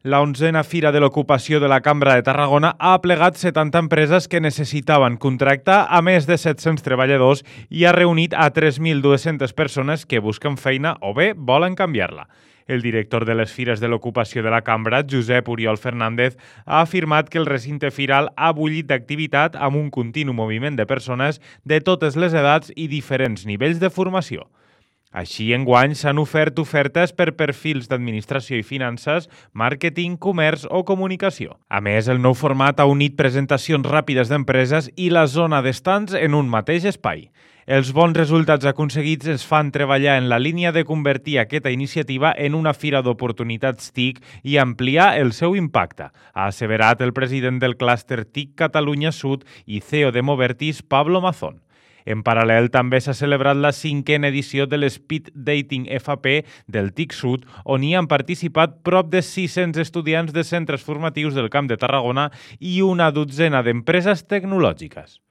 La 11a Fira de l'Ocupació de la Cambra de Tarragona ha aplegat 70 empreses que necessitaven contractar a més de 700 treballadors i ha reunit a 3.200 persones que busquen feina o bé volen canviar-la. El director de les Fires de l'Ocupació de la Cambra, Josep Oriol Fernández, ha afirmat que el recinte firal ha bullit d'activitat amb un continu moviment de persones de totes les edats i diferents nivells de formació. Així, enguany s'han ofert ofertes per perfils d'administració i finances, màrqueting, comerç o comunicació. A més, el nou format ha unit presentacions ràpides d'empreses i la zona d'estants en un mateix espai. Els bons resultats aconseguits es fan treballar en la línia de convertir aquesta iniciativa en una fira d'oportunitats TIC i ampliar el seu impacte, ha asseverat el president del clúster TIC Catalunya Sud i CEO de Movertis, Pablo Mazón. En paral·lel, també s'ha celebrat la 5a edició de l'Speed Dating FAP del TIC Sud, on hi han participat prop de 600 estudiants de centres formatius del Camp de Tarragona i una dotzena d'empreses tecnològiques.